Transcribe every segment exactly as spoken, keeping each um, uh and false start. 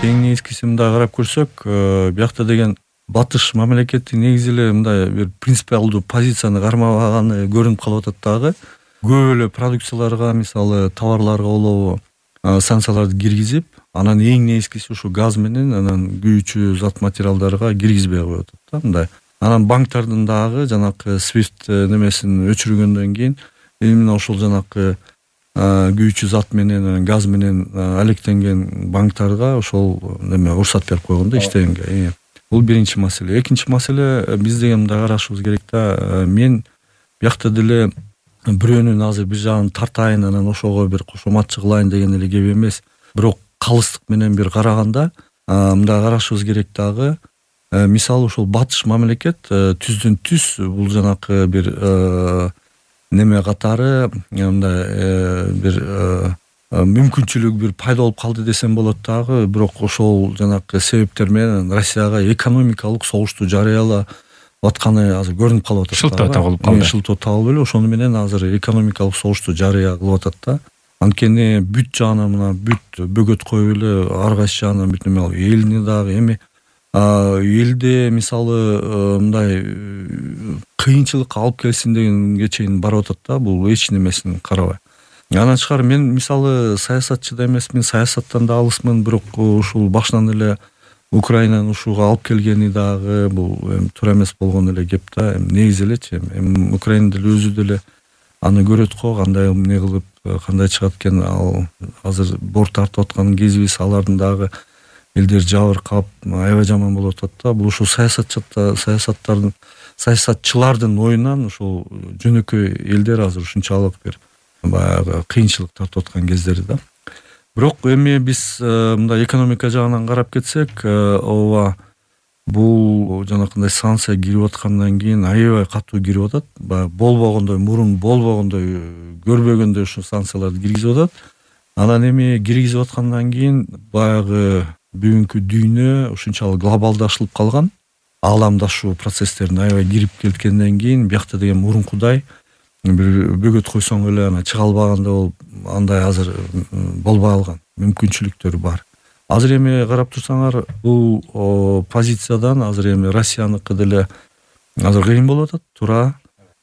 Эң нечкиси мындай карап көрсөк, биякта деген батыш мамлекети негизи эле мындай бир принципиалдуу позицияны кармабаганы көрүнүп калып атат дагы. Көп эле продукцияларга, мисалы товарларга болобу санкцияларды киргизип, анан эң нечкиси ушу газ менен анан күйүүчү зат материалдарга киргизбей коюп атат да мындай. Анан банктардын дагы жанакы свифт немесин өчүргөндөн кийин именно ошол жанакы күйүүчү зат менен газ менен алектенген банктарга ошол неме уруксат берип койгон да иштегенге. Бул биринчи маселе. Экинчи маселе, биз деген мындай карашыбыз керек да. Мен биякта деле бирөөнүн азыр бир жагын тартайын, анан ошого бир кошоматчы кылайын деген эле кеп эмес. Бирок калыстык менен бир караганда мындай карашыбыз керек дагы. Мисалы ошол батыш мамлекет түздөн түз бул жанакы бир неме катары мындай бир мүмкүнчүлүк бир пайда болуп калды десем болот дагы. Бирок ошол жанакы себептер менен Россияга экономикалык согушту жарыялап атканы азыр көрүнүп калып атат. Шылтоо табылып калды. Шылтоо табылып эле ошону менен азыр экономикалык согушту жарыя кылып атат да. Анткени бүт жагынан мына бүт бөгөт коюп эле ар кайсы жагынан бүт неме элни дагы эми элде мисалы мындай кыйынчылыкка алып келсин дегенге чейин барып атат да, бул эч немесин карабай. Анан тышкары мен мисалы саясатчы да эмесмин, саясаттан да алысмын, бирок ушул башынан эле Украинаны ушуга алып келгени дагы бул эми туура эмес болгон эле кеп да. Эми негизи элечи эми Украина деле өзү деле аны көрөт го, кандай эмне кылып, кандай чыгат экен. Ал азыр бор тартып аткан кезибиз, алардын дагы элдер жабыркап, аябай жаман болуп атат да. Бул ушул саясатчылар, саясаттардын, саясатчылардын оюнан ушул жөнөкөй элдер азыр ушунчалык бир баягы кыйынчылык тартып аткан кездери да. Бирок эми биз мындай экономика жагынан карап кетсек, ооба бул жанакындай санкция кирип аткандан кийин аябай катуу кирип атат. Баягы болбогондой, мурун болбогондой, көрбөгөндөй ушу санкцияларды киргизип атат. Анан эми киргизип аткандан кийин баягы бүгүнкү дүйнө ушунчалык глобалдашылып калган. Ааламдашуу процесстерине аябай кирип кеткенден кийин биякта деген мурункудай бир бөгөт койсоң эле ана чыга албагандай болуп, андай азыр болбой калган, мүмкүнчүлүктөр бар. Азыр эми карап турсаңар, бул позициядан азыр эми Россияныкы деле азыр кыйын болуп атат, туура.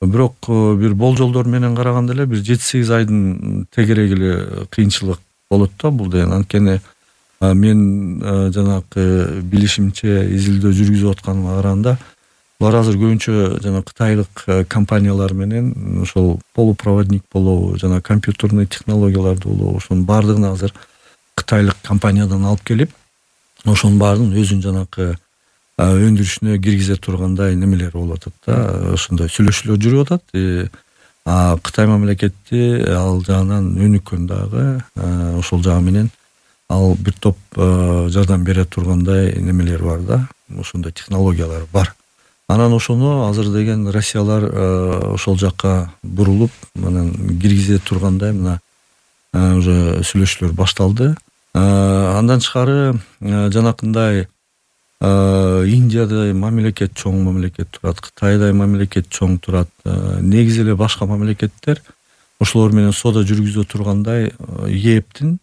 Бирок бир болжолдор менен караганда эле бир жети сегиз айдын тегерек эле кыйынчылык болот да бул деген. Анткени мен жанакы билишимче изилдөө жүргүзүп атканыма караганда, булар азыр көбүнчө жана кытайлык компаниялар менен ошол полупроводник болобу, жана компьютерный технологияларды болобу, ошонун баардыгын азыр кытайлык компаниядан алып келип, ошонун баарын өзүнүн жанакы өндүрүшүнө киргизе тургандай немелер болуп атат да. Ошондой сүйлөшүүлөр жүрүп атат. А Кытай мамлекети ал жагынан өнүккөн дагы, ошол жагы менен ал бир топ жардам бере тургандай немелер бар да. Ошондой технологиялар бар. Анан ошону азыр деген Россиялар ошол жакка бурулуп, анан киргизе тургандай мына уже сүйлөшүүлөр башталды. Андан тышкары жанакындай Индияда мамлекет чоң мамлекет турат, Кытайда мамлекет чоң турат. Негизи эле башка мамлекеттер ошолор менен соода жүргүзө тургандай ээптин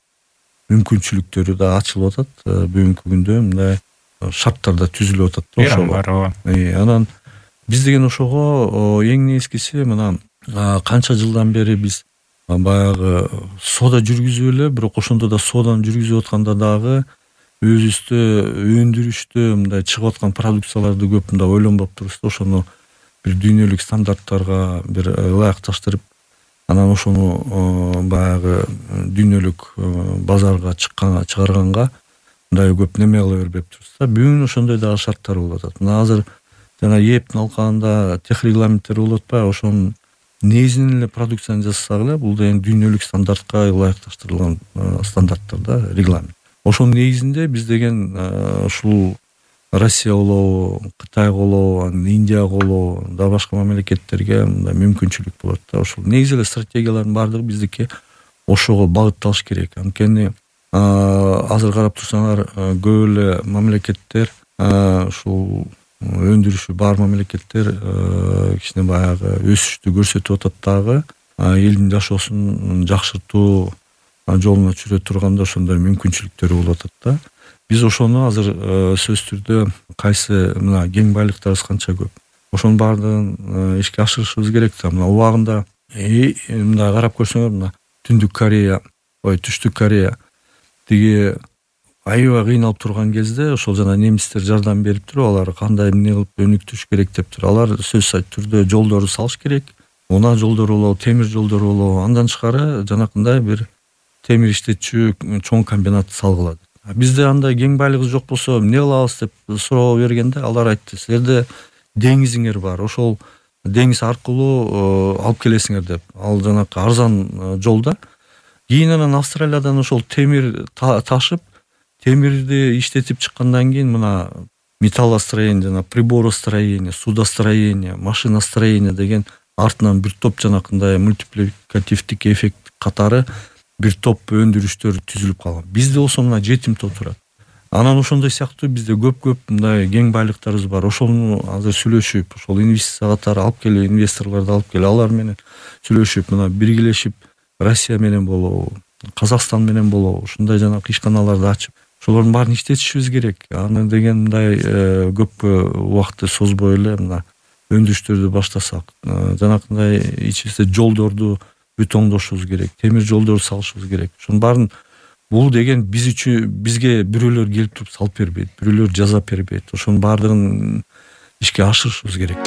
мүмкүнчүлүктөрү да ачылып атат. Бүгүнкү күндө мындай шарттар да түзүлүп атат да ошого. Анан биз деген ошого эң нечкиси мына канча жылдан бери биз баягы соода жүргүзүп эле, бирок ошондо да сооданы жүргүзүп атканда дагы өзүбүздө өндүрүштө мындай чыгып аткан продукцияларды көп мындай ойлонбоп турбуз да. Ошону бир дүйнөлүк стандарттарга бир ылайыкташтырып, анан ошону баягы дүйнөлүк базарга чыкканга, чыгарганга мындай көп неме кыла бербеп турбуз да. Бүгүн ошондой дагы шарттар болуп атат. Мына азыр жана ээптин алкагында тех регламенттер болуп атпайбы? Ошонун негизинен эле продукцияны жасасак эле, бул деген дүйнөлүк стандартка ылайыкташтырылган стандарттар да, регламент. Ошонун негизинде биз деген ушул Россия болобу, Кытай болобу, Индия болобу, да башка мамлекеттерге мындай мүмкүнчүлүк болот да. Ошол негизи эле стратегиялардын баардыгы биздики ошого багытталыш керек. Анткени азыр карап турсаңар, көп эле мамлекеттер ушул өндүрүшү бар мамлекеттер кичине баягы өсүштү көрсөтүп атат дагы, элдин жашоосун жакшыртуу жолуна жүрө турганда ошондой мүмкүнчүлүктөр болуп атат да. Биз ошону азыр сөзсүз түрдө кайсы мына кең байлыктарыбыз канча көп, ошонун баардыгын ишке ашырышыбыз керек да. Мына убагында мындай карап көрсөңөр, мына Түндүк Корея, ой Түштүк Корея тиги аябай кыйналып турган кезде ошол жана немистер жардам берип туруп, алар кандай эмне кылып өнүктүрүш керек деп туруп, алар сөзсүз түрдө жолдорду салыш керек. Унаа жолдору болобу, темир жолдору болобу, андан тышкары жанакындай бир темир иштетчү чоң комбинат салгыла. Бизде андай кең байлыгыбыз жок болсо эмне кылабыз деп суроо бергенде алар айтты: силерде деңизиңер бар, ошол деңиз аркылуу алып келесиңер деп. Ал жанакы арзан жолда. Кийин анан Австралиядан ошол темир ташып, темирди иштетип чыккандан кийин мына металлостроение жана приборостроение, судостроение, машиностроение деген артынан бир топ жанакындай мультипликативдик эффект катары бир топ өндүрүштөр түзүлүп калган. Бизде болсо мына жетимтөө турат. Анан ошондой сыяктуу бизде көп-көп мындай кең байлыктарыбыз бар. Ошону азыр сүйлөшүп, ошол инвестиция катары алып келип, инвесторлорду алып келип, алар менен сүйлөшүп, мына биргелешип Россия менен болобу, Казакстан менен болобу, ушундай жанакы ишканаларды ачып, ошолордун баарын иштетишибиз керек. Аны деген мындай көп убакытты созбой эле мына өндүрүштөрдү баштасак, жанакындай ичибизде жолдорду бетондошубуз керек, темир жолдорду салышыбыз керек. Ошонун баарын, бул деген биз үчүн, бизге бирөөлөр келип туруп салып бербейт, бирөөлөр жасап бербейт. Ошонун баардыгын ишке ашырышыбыз керек.